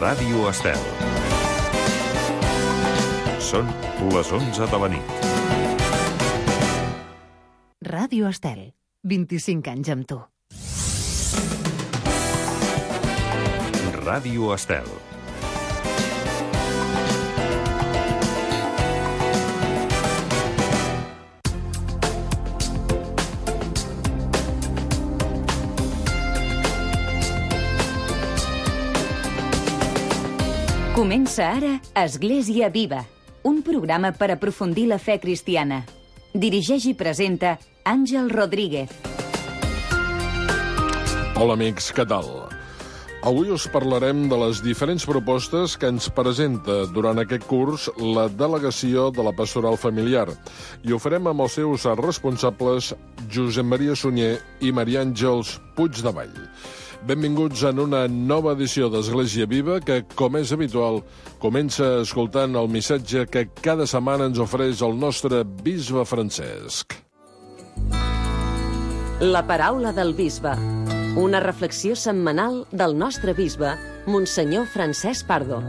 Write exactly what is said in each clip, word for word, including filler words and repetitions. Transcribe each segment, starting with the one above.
Ràdio Estel. Són les onze de la nit. Ràdio Estel, vint-i-cinc anys amb tu. Ràdio Estel. Comença ara Església Viva, un programa per aprofundir la fe cristiana. Dirigeix i presenta Àngel Rodríguez. Hola amics, què tal? Avui us parlarem de les diferents propostes que ens presenta durant aquest curs la delegació de la Pastoral Familiar i ho farem amb els seus responsables Josep Maria Sunyer i Maria Àngels Puigdevall. Benvinguts en una nova edició d'Església Viva que, com és habitual, comença escoltant el missatge que cada setmana ens ofereix el nostre bisbe Francesc. La paraula del bisbe. Una reflexió setmanal del nostre bisbe, Monsenyor Francesc Pardo.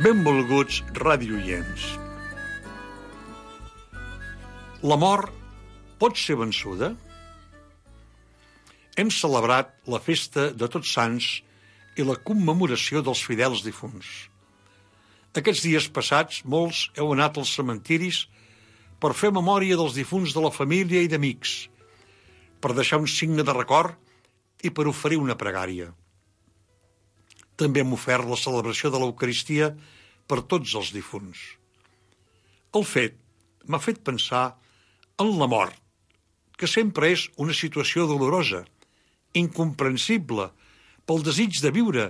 Benvolguts radioients. La mort pot ser vençuda? Hem celebrat la festa de Tots Sants i la commemoració dels fidels difunts. Aquests dies passats, molts heu anat als cementiris per fer memòria dels difunts de la família i d'amics, per deixar un signe de record i per oferir una pregària. També hem ofert la celebració de l'Eucaristia per tots els difunts. El fet m'ha fet pensar en la mort, que sempre és una situació dolorosa, incomprensible pel desig de viure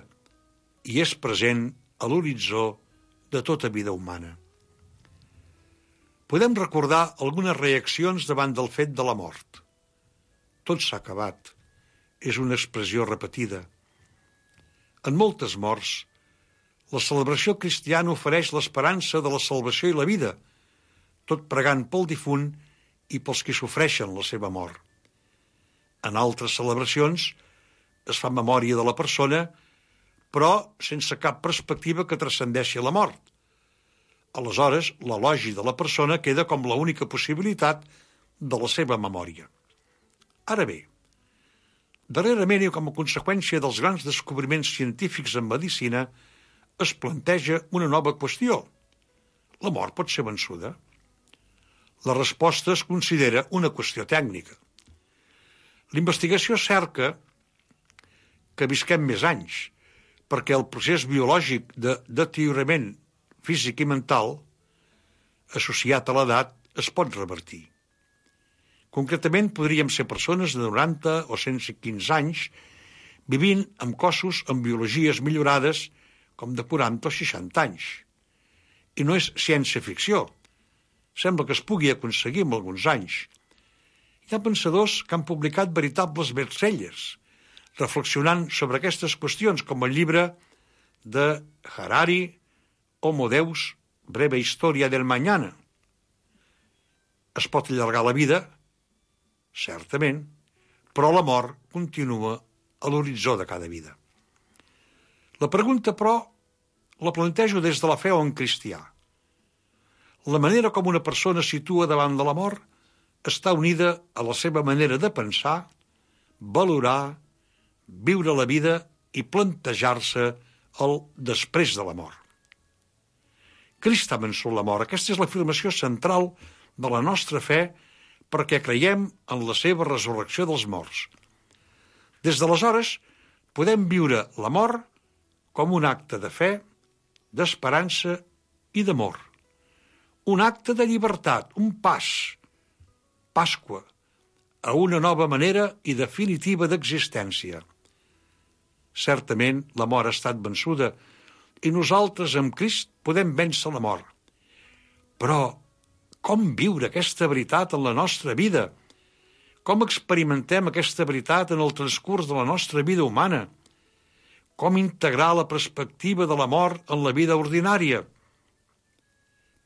i és present a l'horitzó de tota vida humana. Podem recordar algunes reaccions davant del fet de la mort. Tot s'ha acabat. És una expressió repetida. En moltes morts, la celebració cristiana ofereix l'esperança de la salvació i la vida, tot pregant pel difunt i pels qui sofreixen la seva mort. En altres celebracions es fa memòria de la persona, però sense cap perspectiva que transcendeixi la mort. Aleshores, l'elogi de la persona queda com l'única possibilitat de la seva memòria. Ara bé, darrerament i com a conseqüència dels grans descobriments científics en medicina, es planteja una nova qüestió. La mort pot ser vençuda? La resposta es considera una qüestió tècnica. L'investigació cerca que visquem més anys, perquè el procés biològic de deteriorament físic i mental associat a l'edat es pot revertir. Concretament, podríem ser persones de noranta o cent quinze anys vivint amb cossos amb biologies millorades com de quaranta o seixanta anys. I no és ciència-ficció. Sembla que es pugui aconseguir en alguns anys. Hi ha pensadors que han publicat veritables bestsellers, reflexionant sobre aquestes qüestions, com el llibre de Harari, Homo Deus, breve història del mañana. Es pot allargar la vida, certament, però la mort continua a l'horitzó de cada vida. La pregunta, però, la plantejo des de la fe o en cristià. La manera com una persona es situa davant de la mort està unida a la seva manera de pensar, valorar, viure la vida i plantejar-se el després de la mort. Crist ha vençut la mort. Aquesta és l'afirmació central de la nostra fe perquè creiem en la seva resurrecció dels morts. Des d'aleshores podem viure la mort com un acte de fe, d'esperança i d'amor. Un acte de llibertat, un pas, Pasqua, a una nova manera i definitiva d'existència. Certament, la mort ha estat vençuda i nosaltres amb Crist podem vèncer la mort. Però com viure aquesta veritat en la nostra vida? Com experimentem aquesta veritat en el transcurs de la nostra vida humana? Com integrar la perspectiva de la mort en la vida ordinària?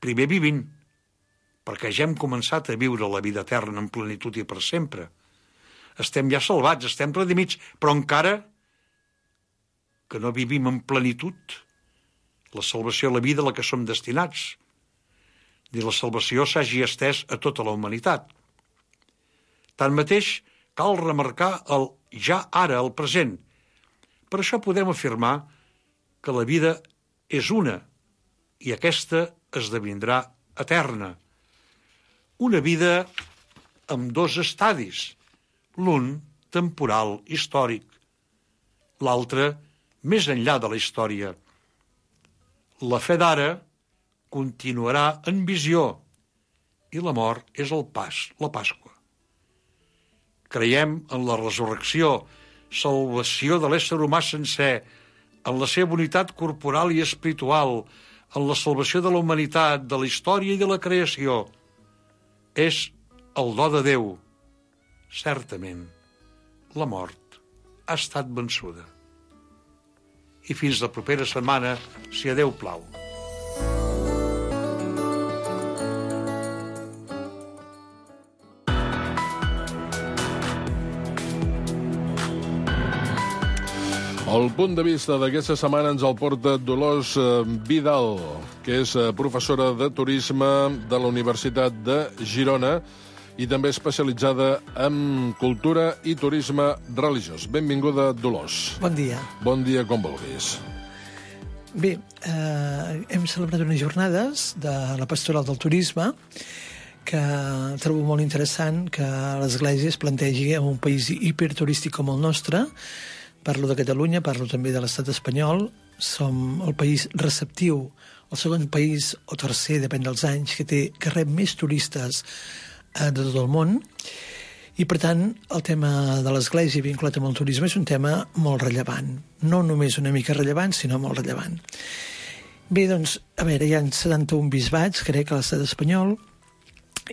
Primer vivint, perquè ja hem començat a viure la vida eterna en plenitud i per sempre. Estem ja salvats, estem redimits, però encara que no vivim en plenitud la salvació a la vida a la que som destinats, ni la salvació s'hagi estès a tota la humanitat. Tanmateix, cal remarcar el ja ara, el present. Per això podem afirmar que la vida és una i aquesta esdevindrà eterna. Una vida amb dos estadis, l'un temporal, històric, l'altre més enllà de la història. La fe d'ara continuarà en visió i la mort és el pas, la Pasqua. Creiem en la resurrecció, salvació de l'ésser humà sencer, en la seva unitat corporal i espiritual, en la salvació de la humanitat, de la història i de la creació. És el do de Déu. Certament, la mort ha estat vençuda. I fins la propera setmana, si a Déu plau. El punt de vista d'aquesta setmana ens el porta Dolors Vidal, que és professora de turisme de la Universitat de Girona i també especialitzada en cultura i turisme religiós. Benvinguda, Dolors. Bon dia. Bon dia, com vulguis. Bé, eh, hem celebrat unes jornades de la Pastoral del Turisme que trobo molt interessant que l'Església es plantegi en un país hiperturístic com el nostre. Parlo de Catalunya, parlo també de l'estat espanyol. Som el país receptiu, el segon país o tercer, depèn dels anys, que té que rep més turistes eh, de tot el món. I, per tant, el tema de l'Església vinculat amb el turisme és un tema molt rellevant. No només una mica rellevant, sinó molt rellevant. Bé, doncs, a veure, hi ha setanta-un bisbats, crec, a l'estat espanyol.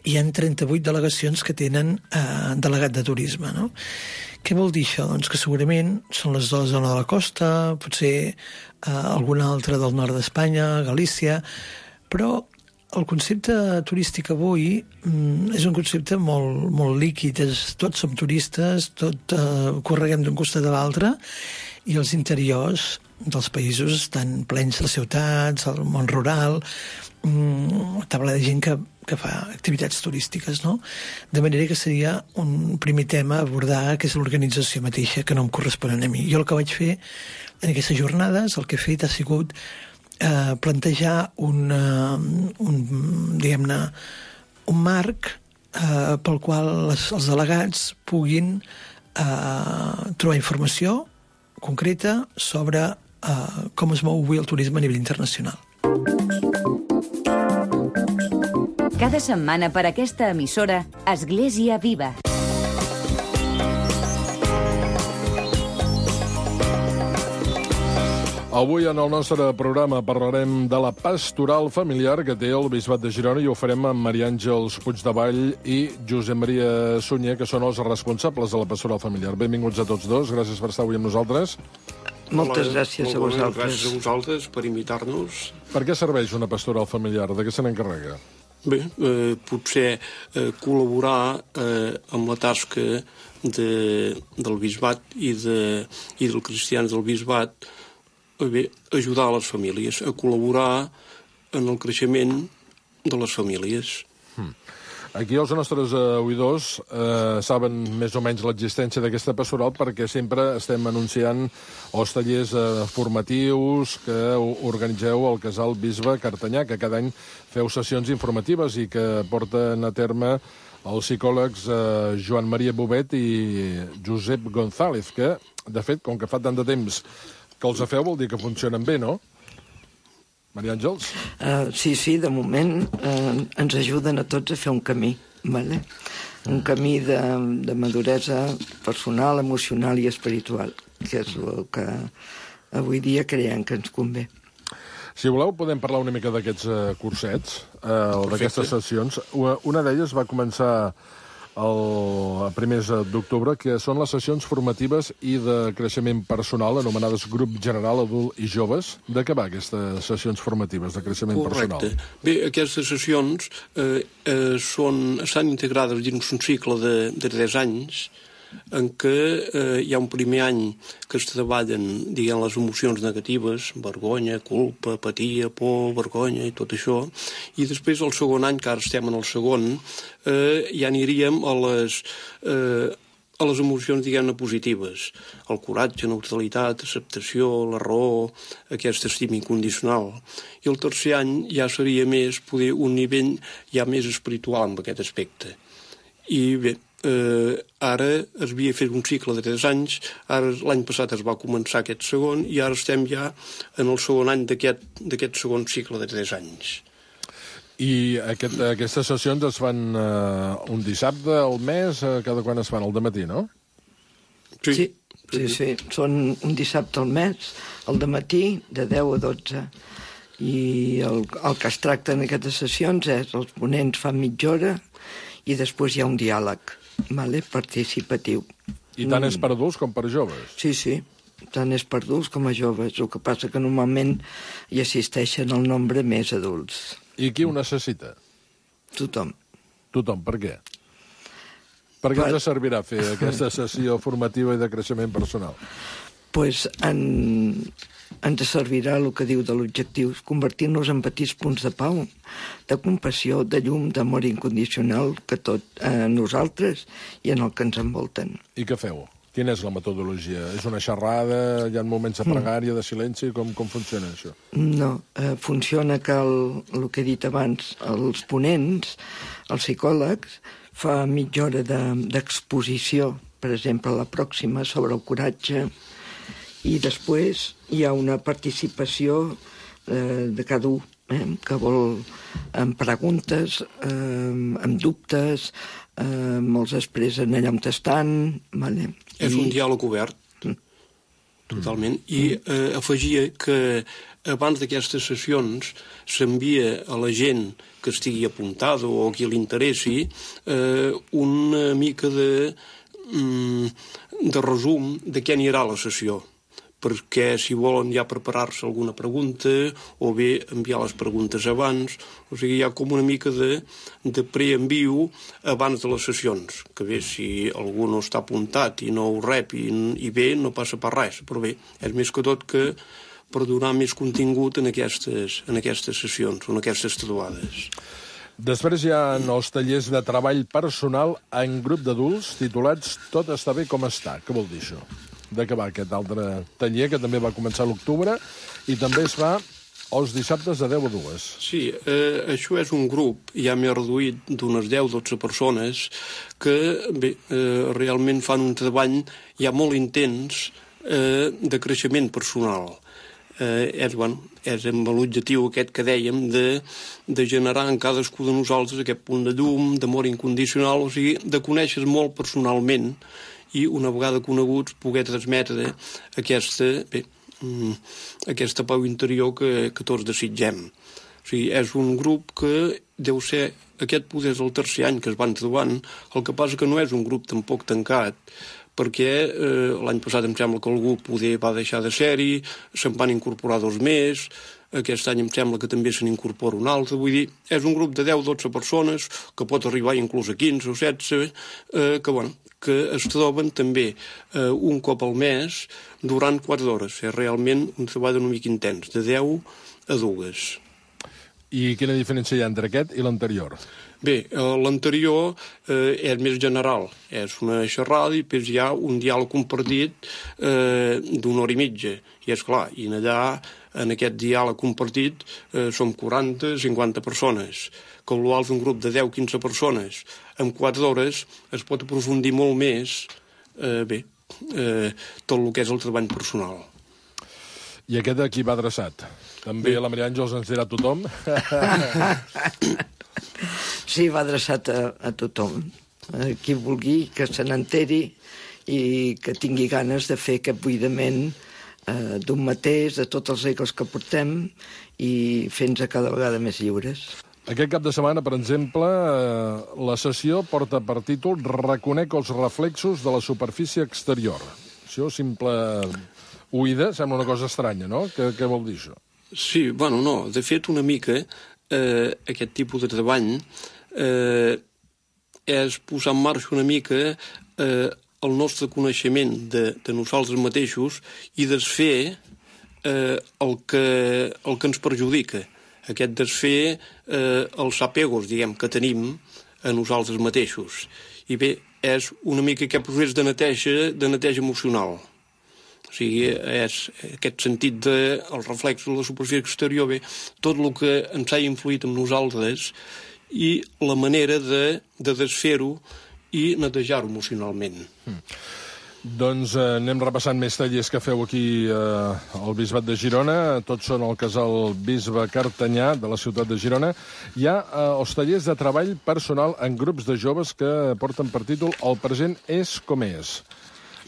Hi ha trenta-vuit delegacions que tenen eh, delegat de turisme, no? Què vol dir això? Doncs que segurament són les de la zona de la costa, potser eh, alguna altra del nord d'Espanya, Galícia, però el concepte turístic avui mm, és un concepte molt, molt líquid. És, tots som turistes, tot eh, correguem d'un costat a l'altre, i els interiors dels països estan plens de ciutats, el món rural, mm, taula de gent que, que fa activitats turístiques, no? De manera que seria un primer tema a abordar, que és l'organització mateixa, que no em correspon a mi. Jo el que vaig fer en aquestes jornades, el que he fet ha sigut eh, plantejar un, uh, un, diguem-ne, un marc eh, pel qual les, els delegats puguin eh, trobar informació concreta sobre eh, com es mou avui el turisme a nivell internacional. Cada setmana per aquesta emissora, Església Viva. Avui en el nostre programa parlarem de la pastoral familiar que té el Bisbat de Girona i ho farem amb Maria Àngels Puigdevall i Josep Maria Sunyer, que són els responsables de la pastoral familiar. Benvinguts a tots dos, gràcies per estar avui amb nosaltres. Moltes gràcies a vosaltres. Gràcies a vosaltres per invitar-nos. Per què serveix una pastoral familiar? De què se n'encarrega? Bé, eh, potser eh, col·laborar eh, amb la tasca de, del bisbat i, de, i dels cristians del bisbat, eh, bé, ajudar a les famílies, a col·laborar en el creixement de les famílies. Hmm. Aquí els nostres uh, oïdors uh, saben més o menys l'existència d'aquesta pastoral perquè sempre estem anunciant els tallers uh, formatius que organitzeu al Casal Bisbe Cartanyà, que cada any feu sessions informatives i que porten a terme els psicòlegs uh, Joan Maria Bobet i Josep González, que, de fet, com que fa tant de temps que els feu, vol dir que funcionen bé, no? Maria Àngels? Uh, sí, sí, de moment uh, ens ajuden a tots a fer un camí, ¿vale? Un camí de, de maduresa personal, emocional i espiritual, que és el que avui dia creiem que ens convé. Si voleu, podem parlar una mica d'aquests uh, cursets, uh, o d'aquestes sessions. Una d'elles va començar el primers d'octubre, que són les sessions formatives i de creixement personal, anomenades grup general, adult i joves. De què va aquestes sessions formatives de creixement Correcte. personal? Bé, aquestes sessions eh, eh, són, estan integrades dins un cicle de, de tres anys en què eh, hi ha un primer any que es treballen, diguem, les emocions negatives, vergonya, culpa, apatia, por, vergonya i tot això, i després el segon any, que ara estem en el segon, eh, ja aniríem a les... Eh, a les emocions, diguem-ne, positives. El coratge, neutralitat, acceptació, la raó, aquesta estima incondicional. I el tercer any ja seria més, poder, un nivell ja més espiritual en aquest aspecte. I bé, eh, ara es havia fet un cicle de tres anys, ara l'any passat es va començar aquest segon, i ara estem ja en el segon any d'aquest segon cicle de tres anys. I aquest, aquestes sessions es fan uh, un dissabte al mes, uh, cada quan es fan? Al dematí, no? Sí, sí, sí, sí. Són un dissabte al mes, al dematí, de deu a dotze. I el, el que es tracta en aquestes sessions és els ponents fan mitja hora i després hi ha un diàleg, vale? Participatiu. I tant és per adults com per joves? Sí, sí, tant és per adults com a joves. El que passa que normalment hi assisteixen el nombre més adults. I qui ho necessita? Tothom. Tothom, per què? Per què ens servirà fer aquesta sessió formativa i de creixement personal? Pues en, ens servirà el que diu de l'objectiu, convertir-nos en petits punts de pau, de compassió, de llum, d'amor incondicional que tot a nosaltres i en el que ens envolten. I què feu? Quina és la metodologia? És una xerrada? Hi ha moments de pregària, de silenci? Com, com funciona això? No, eh, funciona que el, el que he dit abans, els ponents, els psicòlegs, fa mitja hora d'exposició, de, per exemple, la pròxima sobre el coratge, i després hi ha una participació eh, de cada un, eh, que vol amb preguntes, eh, amb dubtes, eh, molts expressen allà on estan, vale? És I... un diàleg obert, mm. totalment, i eh, afegia que abans d'aquestes sessions s'envia a la gent que estigui apuntada o a qui li interessi eh, una mica de, mm, de resum de què anirà la sessió, perquè si volen ja preparar-se alguna pregunta o bé enviar les preguntes abans, o sigui, hi ha com una mica de, de preenviu abans de les sessions, que bé, si algú no està apuntat i no ho rep i, i bé, no passa per res, però bé, és més que tot que per donar més contingut en aquestes, en aquestes sessions, en aquestes trobades. Després hi ha els tallers de treball personal en grup d'adults titulats Tot està bé com està. Què vol dir això? De què va aquest altre taller, que també va començar a l'octubre, i també es fa els dissabtes de deu a dues. Sí, eh, això és un grup ja més reduït d'unes deu a dotze persones que bé, eh, realment fan un treball ja molt intens eh, de creixement personal. Eh, és, bueno, és amb l'objectiu aquest que dèiem de, de generar en cadascú de nosaltres aquest punt de llum, d'amor incondicional, o sigui, de conèixer molt personalment i una vegada coneguts poder transmetre aquesta, bé, aquesta pau interior que, que tots desitgem. O sigui, és un grup que deu ser, aquest poder és el tercer any que es van trobant, el que passa que no és un grup tampoc tancat, perquè eh, l'any passat em sembla que algú poder va deixar de ser-hi, se'n van incorporar dos més, aquest any em sembla que també se n'incorpora un altre, vull dir, és un grup de deu a dotze persones, que pot arribar inclús a quinze o setze, eh, que, bueno, que es troben també eh, un cop al mes durant quatre hores. És realment un treball una mica intens, de deu a dues. I quina diferència hi ha entre aquest i l'anterior? Bé, eh, l'anterior eh, és més general. És una xerrada i després hi ha un diàleg compartit eh, d'una hora i mitja. I és clar, i allà, en aquest diàleg compartit, eh, som quaranta a cinquanta persones, que potser un grup de deu a quinze persones en quatre hores es pot aprofundir molt més eh, bé, eh, tot el que és el treball personal. I aquest a qui va adreçat? També la Maria Àngels ens dirà a tothom? Sí, va adreçat a, a tothom. A qui vulgui que se n'enteri i que tingui ganes de fer aquest buidament eh, d'un mateix, de tots els egos que portem i fent-nos cada vegada més lliures. Aquest cap de setmana, per exemple, eh, la sessió porta per títol Reconec els reflexos de la superfície exterior. Això, simple oïda, sembla una cosa estranya, no? Què, què vol dir això? Sí, bueno, no. De fet, una mica, eh, aquest tipus de treball eh, és posar en marxa una mica eh, el nostre coneixement de, de nosaltres mateixos i desfer eh, el, que, el que ens perjudica. Aquest desfer eh, els apegos, diguem, que tenim a nosaltres mateixos. I bé, és una mica aquest procés de neteja, de neteja emocional. O sigui, és aquest sentit del de, reflex de la superfície exterior, bé, tot el que ens ha influït en nosaltres i la manera de, de desfer-ho i netejar-ho emocionalment. Mm. Doncs eh, anem repassant més tallers que feu aquí eh, al Bisbat de Girona. Tots són al casal Bisbe Cartanyà de la ciutat de Girona. Hi ha eh, els tallers de treball personal en grups de joves que porten per títol El present és com és.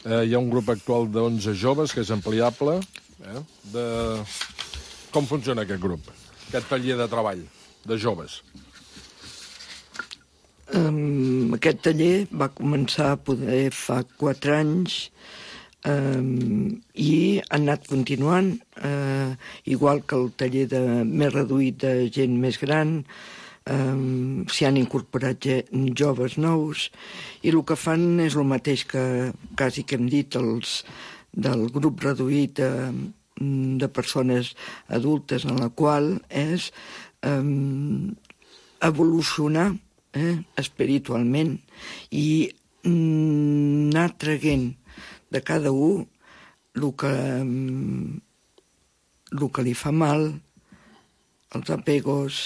Eh, hi ha un grup actual d'onze joves que és ampliable. Eh, de... Com funciona aquest grup? Aquest taller de treball de joves? Um, aquest taller va començar a poder fa quatre anys um, i ha anat continuant, uh, igual que el taller de, més reduït de gent més gran. Um, s'hi han incorporat joves nous i el que fan és el mateix que quasi que hem dit els del grup reduït de, de persones adultes, en la qual és um, evolucionar Eh, espiritualment i mm, anar traguent de cada un el que, mm, el que li fa mal, els apegos,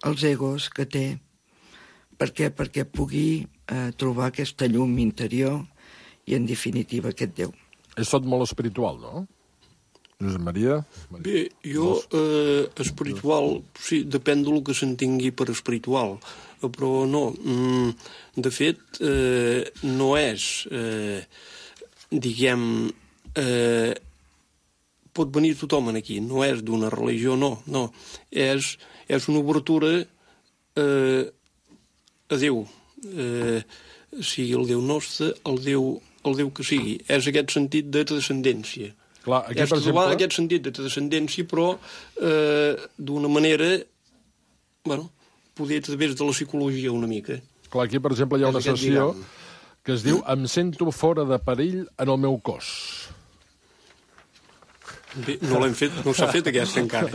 els egos que té. Per què? Perquè pugui eh, trobar aquesta llum interior i, en definitiva, aquest Déu. És tot molt espiritual, no? Josep Maria? Bé, jo, eh, espiritual, sí, depèn del que s'entengui per espiritual, però no, de fet, eh, no és, eh, diguem, eh, pot venir tothom aquí, no és d'una religió, no, no, és, és una obertura eh, a Déu, eh, sigui el Déu nostre, el Déu, el Déu que sigui, és aquest sentit de transcendència. Clar, aquí, és per exemple... aquest sentit de transcendència, però eh, d'una manera, bueno, poder a través de la psicologia una mica. Clar, aquí, per exemple, hi ha una sessió que es diu Em sento fora de perill en el meu cos. Bé, no l'hem fet, no s'ha fet aquesta encara.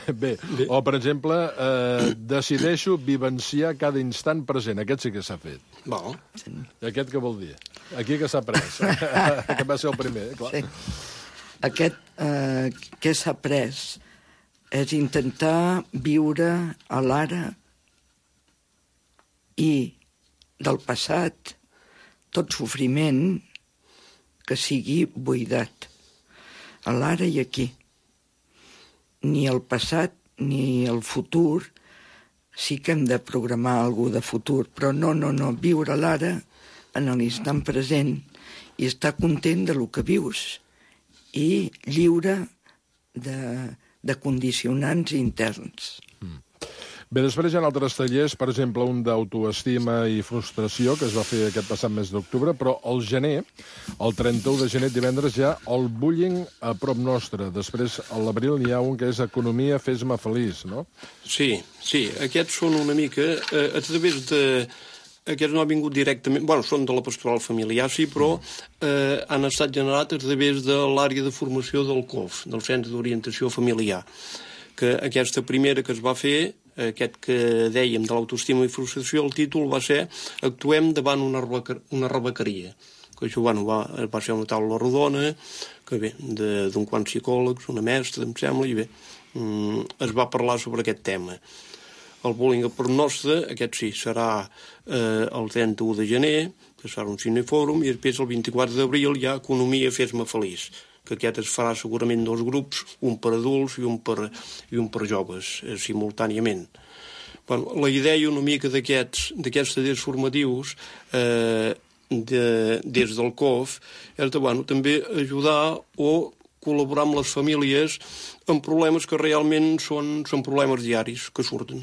Bé, bé. O, per exemple, eh, decideixo vivenciar cada instant present. Aquest sí que s'ha fet. Val. I aquest què vol dir? Aquí que s'ha pres. Que va ser el primer, eh? Clar. Sí. Aquest eh, que s'ha pres és intentar viure a l'ara i del passat tot sofriment que sigui buidat a l'ara i aquí. Ni el passat ni el futur, sí que hem de programar alguna de futur, però no, no, no, viure l'ara en l'instant present i estar content de lo que vius i lliure de, de condicionants interns. Mm. Bé, després hi ha altres tallers, per exemple, un d'autoestima i frustració, que es va fer aquest passat mes d'octubre, però al gener, el trenta-u de gener, divendres, hi ha el bullying a prop nostre. Després, a l'abril, hi ha un que és Economia, fes-me feliç, no? Sí, sí, aquests són una mica, eh, a través de... Aquests no han vingut directament... Bueno, són de la pastoral familiar, sí, però eh, han estat generats a través de l'àrea de formació del C O F, del Centre d'Orientació Familiar, que aquesta primera que es va fer, aquest que dèiem de l'autoestima i frustració, el títol va ser Actuem davant una, una rebequeria. Que això, bueno, va, va ser una taula rodona, que bé, d'un quant psicòlegs, una mestra, em sembla, i bé, mm, es va parlar sobre aquest tema. El bullying per nostre, aquest sí, serà eh, el trenta-u de gener, que serà un cinefòrum, i després el vint-i-quatre d'abril hi ha Economia, fes-me feliç, que aquest es farà segurament dos grups, un per adults i un per, i un per joves, eh, simultàniament. Bueno, la idea una mica d'aquests tallers formatius eh, de, des del C O F és de, bueno, també ajudar o col·laborar amb les famílies en problemes que realment són, són problemes diaris que surten.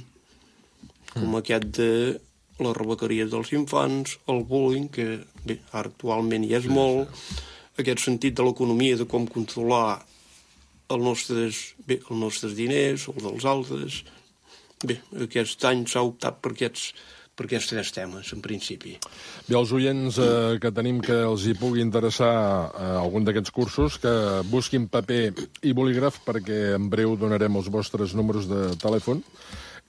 Com aquest de les rebequeries dels infants, el bullying, que bé, ara actualment hi és molt, aquest sentit de l'economia, de com controlar els nostres, bé, els nostres diners, els dels altres. Bé, aquest any s'ha optat per aquests, per aquests tres temes, en principi. Bé, els oients eh, que tenim que els hi pugui interessar eh, algun d'aquests cursos, que busquin paper i bolígraf, perquè en breu donarem els vostres números de telèfon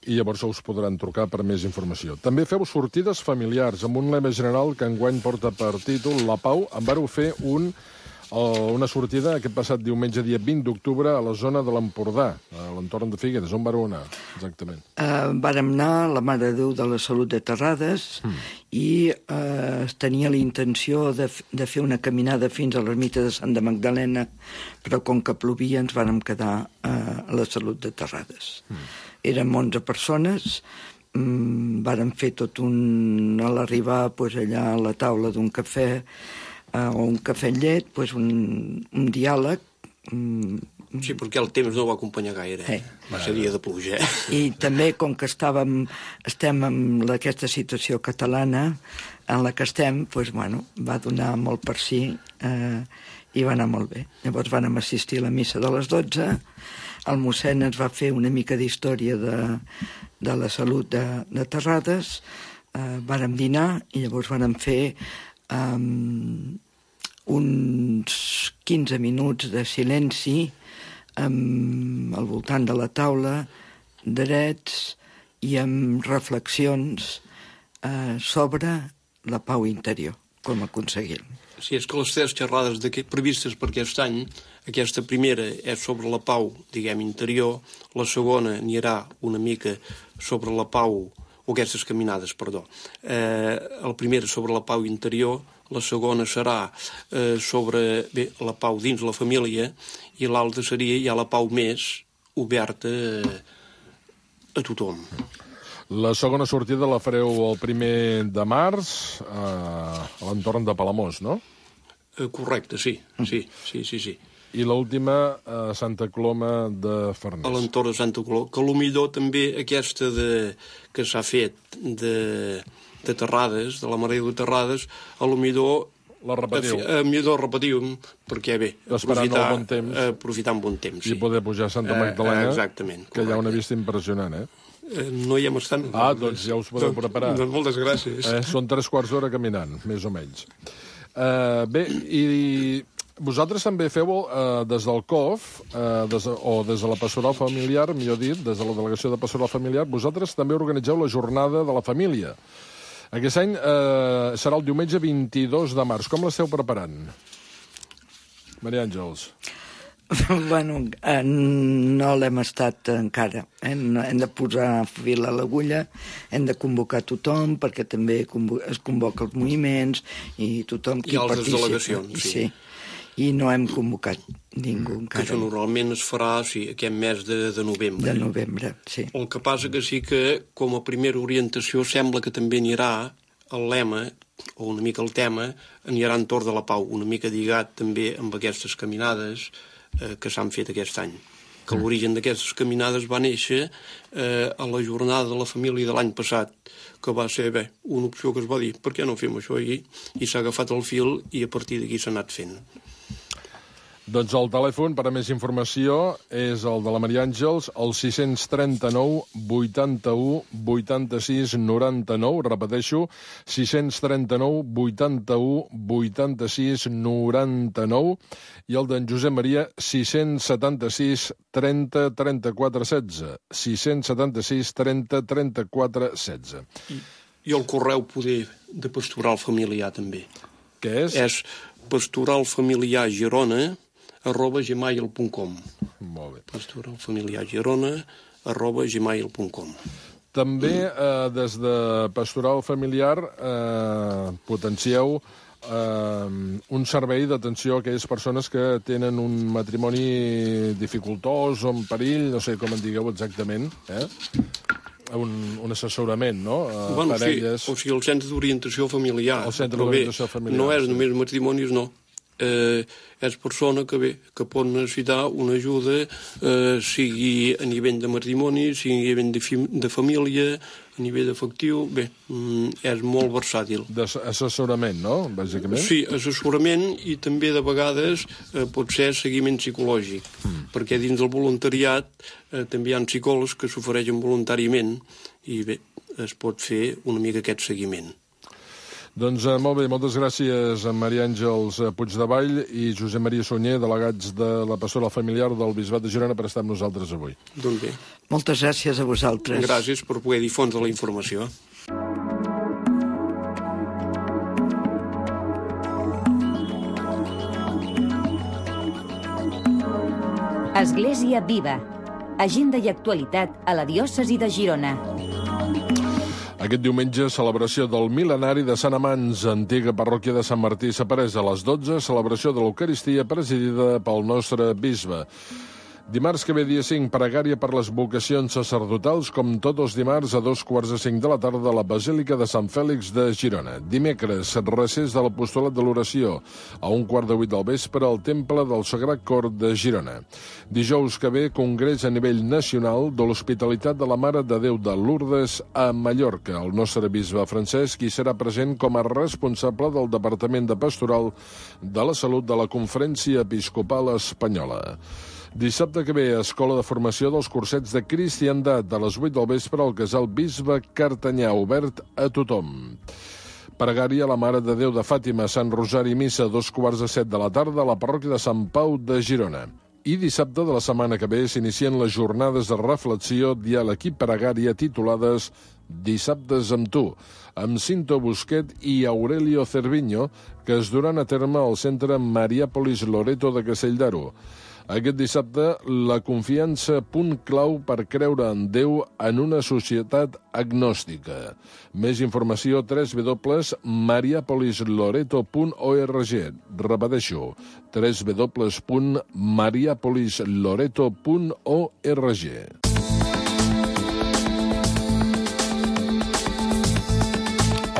i llavors us podran trucar per més informació. També feu sortides familiars, amb un lema general que enguany porta per títol La Pau. En vareu fer un, una sortida aquest passat diumenge, dia vint d'octubre, a la zona de l'Empordà, a l'entorn de Figueres. On vareu anar, exactament? Uh, vàrem anar a la Mare de Déu de la Salut de Terrades mm. i uh, tenia la intenció de, de fer una caminada fins a l'ermita de Santa Magdalena, però com que plovia ens vàrem quedar uh, a la Salut de Terrades. Mm. Érem onze persones, mmm, vàrem fer tot un... a l'arribar pues, allà a la taula d'un cafè uh, o un cafè amb llet, pues, un, un diàleg. Mm, sí, perquè el temps no va acompanyar gaire, eh? Va ser dia de pluja. Eh? I també, com que estàvem, estem en aquesta situació catalana en la que estem, pues, bueno, va donar molt per si eh, i va anar molt bé. Llavors vam assistir a la missa de les dotze. El mossèn ens va fer una mica d'història de, de la salut de, de Terrades, eh, vàrem dinar i llavors vàrem fer um, uns quinze minuts de silenci um, al voltant de la taula, drets i amb reflexions eh, sobre la pau interior, com aconseguir-ho. Sí, és que les tres xerrades previstes per aquest any, aquesta primera és sobre la pau, diguem, interior, la segona n'hi haurà una mica sobre la pau, o aquestes caminades, perdó. Eh, la primera sobre la pau interior, la segona serà eh, sobre bé, la pau dins la família, i l'altra seria ja la pau més oberta eh, a tothom. La segona sortida la fareu el primer de març, eh, a l'entorn de Palamós, no? Eh, correcte, sí, sí, sí, sí, sí. I l'última a Santa Coloma de Farners. A l'entorn de Santa Coloma, que potser també aquesta de, que s'ha fet de, de Terrades, de la Mare de Terrades, a potser la repetiu. A, a millor repetiu, perquè bé, aprofitar, bon temps, aprofitar un bon temps. Sí. I poder pujar a Santa Magdalena, eh, exactament, que hi ha una vista impressionant, eh? eh no hi hem estat. Ah, doncs ja us podeu preparar. Doncs moltes gràcies. Eh, són tres quarts d'hora caminant, més o menys. Eh, bé, i vosaltres també feu eh, des del C O F, eh, des de, o des de la Pastoral Familiar, millor dit, des de la Delegació de Pastoral Familiar, vosaltres també organitzeu la Jornada de la Família. Aquest any eh, serà el diumenge vint-i-dos de març. Com l'esteu preparant? Maria Àngels. Bueno, eh, no l'hem estat encara. Eh? Hem de posar fil a l'agulla, hem de convocar tothom, perquè també es convoca els moviments i tothom qui participa. I altres delegacions, sí. sí. I no hem convocat ningú encara. Que això normalment es farà sí, aquest mes de, de novembre. De novembre, sí. El que passa que sí que, com a primera orientació, sembla que també anirà el lema, o una mica el tema, anirà entorn de la pau, una mica lligat també amb aquestes caminades eh, que s'han fet aquest any. Que l'origen d'aquestes caminades va néixer eh, a la jornada de la família de l'any passat, que va ser bé, una opció que es va dir, per què no fem això? I, i s'ha agafat el fil i a partir d'aquí s'ha anat fent. Doncs el telèfon per a més informació és el de la Maria Àngels, el sis trenta-nou vuitanta-u vuitanta-sis noranta-nou, repeteixo, sis trenta-nou vuitanta-u vuitanta-sis noranta-nou, i el d'en Josep Maria, sis setanta-sis trenta trenta-quatre setze, sis setanta-sis trenta trenta-quatre setze. I, i el correu poder de Pastoral Familiar també. Què és? És pastoralfamiliar girona arroba gmail punt com. Molt bé. pastoralfamiliargirona arroba gmail punt com. També eh, des de Pastoral Familiar eh, potencieu eh, un servei d'atenció a aquelles persones que tenen un matrimoni dificultós o en perill, no sé com en digueu exactament, eh? Un, un assessorament, no? A bueno, parelles... sí, o sigui, el centre d'orientació familiar. El centre d'orientació familiar. No és només matrimonis, no. Eh, és persona que, bé, que pot necessitar una ajuda, eh, sigui a nivell de matrimoni, sigui a nivell de, fi, de família, a nivell afectiu, bé, mm, és molt versàtil. D'assessorament, no?, bàsicament? Sí, assessorament i també de vegades eh, pot ser seguiment psicològic, mm. perquè dins del voluntariat eh, també hi ha psicòlegs que s'ofereixen voluntàriament i bé, es pot fer una mica aquest seguiment. Doncs eh, molt bé, moltes gràcies a Maria Àngels Puigdevall i Josep Maria Sunyer, delegats de la Pastoral Familiar del Bisbat de Girona, per estar amb nosaltres avui. Doncs bé. Moltes gràcies a vosaltres. Gràcies per poder difondre la informació. Església Viva. Agenda i actualitat a la diòcesi de Girona. Aquest diumenge, celebració del mil·lenari de Sant Amants, antiga parròquia de Sant Martí Saparès. A les dotze, celebració de l'Eucaristia presidida pel nostre bisbe. Dimarts que ve, dia cinc, pregària per les vocacions sacerdotals, com tots els dimarts a dos quarts de cinc de la tarda a la Basílica de Sant Fèlix de Girona. Dimecres, recés de l'Apostolat de l'Oració, a un quart de vuit del vespre al Temple del Sagrat Cor de Girona. Dijous que ve, congrés a nivell nacional de l'Hospitalitat de la Mare de Déu de Lourdes a Mallorca. El nostre bisbe Francesc hi serà present com a responsable del Departament de Pastoral de la Salut de la Conferència Episcopal Espanyola. Dissabte que ve, Escola de Formació dels Cursets de Cristiandat, a les vuit del vespre al Casal Bisbe Cartanyà, obert a tothom. Pregària a la Mare de Déu de Fàtima, Sant Rosari, missa, dos quarts de set de la tarda a la parròquia de Sant Pau de Girona. I dissabte de la setmana que ve s'inicien les jornades de reflexió, diàleg i pregària titulades Dissabtes amb tu, amb Cinto Busquet i Aurelio Cerviño, que es duran a terme al centre Mariàpolis Loreto de Castelldaro. Aquest dissabte, la confiança, punt clau per creure en Déu en una societat agnòstica. Més informació, w w w punt mariapolis loreto punt org. Repeteixo, w w w punt mariapolis loreto punt org.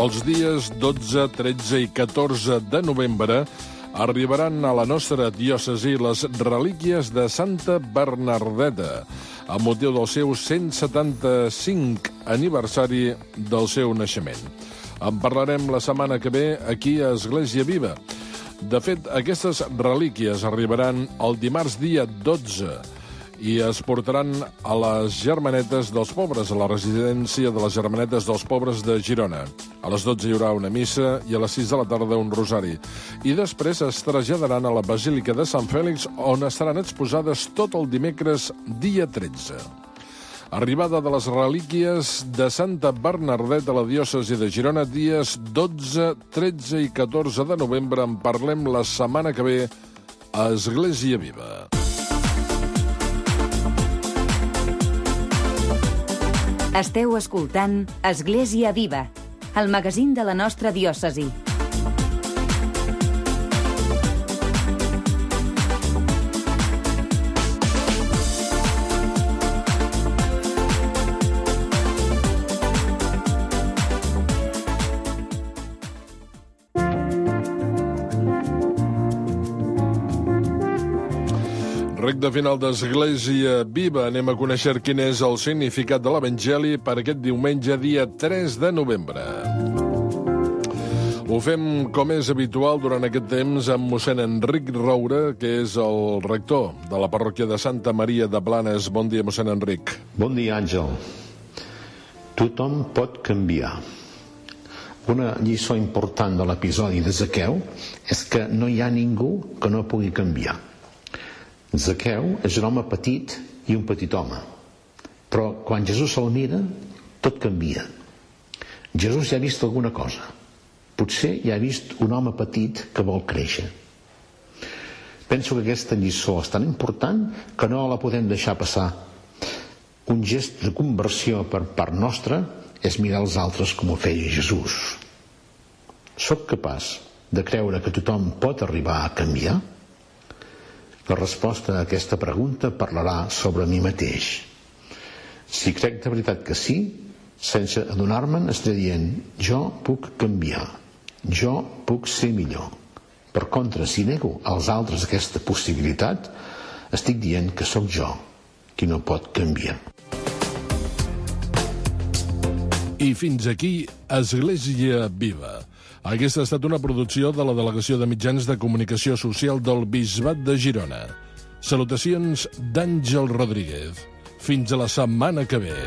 Els dies dotze, tretze i catorze de novembre arribaran a la nostra diòcesi les relíquies de Santa Bernardeta, amb motiu del seu cent setanta-cinc aniversari del seu naixement. En parlarem la setmana que ve aquí a Església Viva. De fet, aquestes relíquies arribaran el dimarts dia dotze i es portaran a les Germanetes dels Pobres, a la residència de les Germanetes dels Pobres de Girona. A les dotze hi haurà una missa i a les sis de la tarda un rosari. I després es traslladaran a la Basílica de Sant Fèlix, on estaran exposades tot el dimecres, dia tretze. Arribada de les relíquies de Santa Bernadeta a la diòcesi de Girona, dies dotze, tretze i catorze de novembre. En parlem la setmana que ve a Església Viva. Esteu escoltant Església Viva, el magazín de la nostra diòcesi. Recte final d'Església Viva. Anem a conèixer quin és el significat de l'Evangeli per aquest diumenge, dia tres de novembre. Ho fem, com és habitual, durant aquest temps amb mossèn Enric Roura, que és el rector de la parròquia de Santa Maria de Blanes. Bon dia, mossèn Enric. Bon dia, Àngel. Tothom pot canviar. Una lliçó important de l'episodi de Zaqueu és que no hi ha ningú que no pugui canviar. Zaqueu és un home petit i un petit home, però quan Jesús se'l mira, tot canvia. Jesús ja ha vist alguna cosa. Potser ja ha vist un home petit que vol créixer. Penso que aquesta lliçó és tan important que no la podem deixar passar. Un gest de conversió per part nostra és mirar els altres com ho feia Jesús. Soc capaç de creure que tothom pot arribar a canviar? La resposta a aquesta pregunta parlarà sobre mi mateix. Si crec de veritat que sí, sense adonar-me'n estaré dient jo puc canviar, jo puc ser millor. Per contra, si nego als altres aquesta possibilitat, estic dient que sóc jo qui no pot canviar. I fins aquí Església Viva. Aquesta ha estat una producció de la Delegació de Mitjans de Comunicació Social del Bisbat de Girona. Salutacions d'Àngel Rodríguez. Fins a la setmana que ve.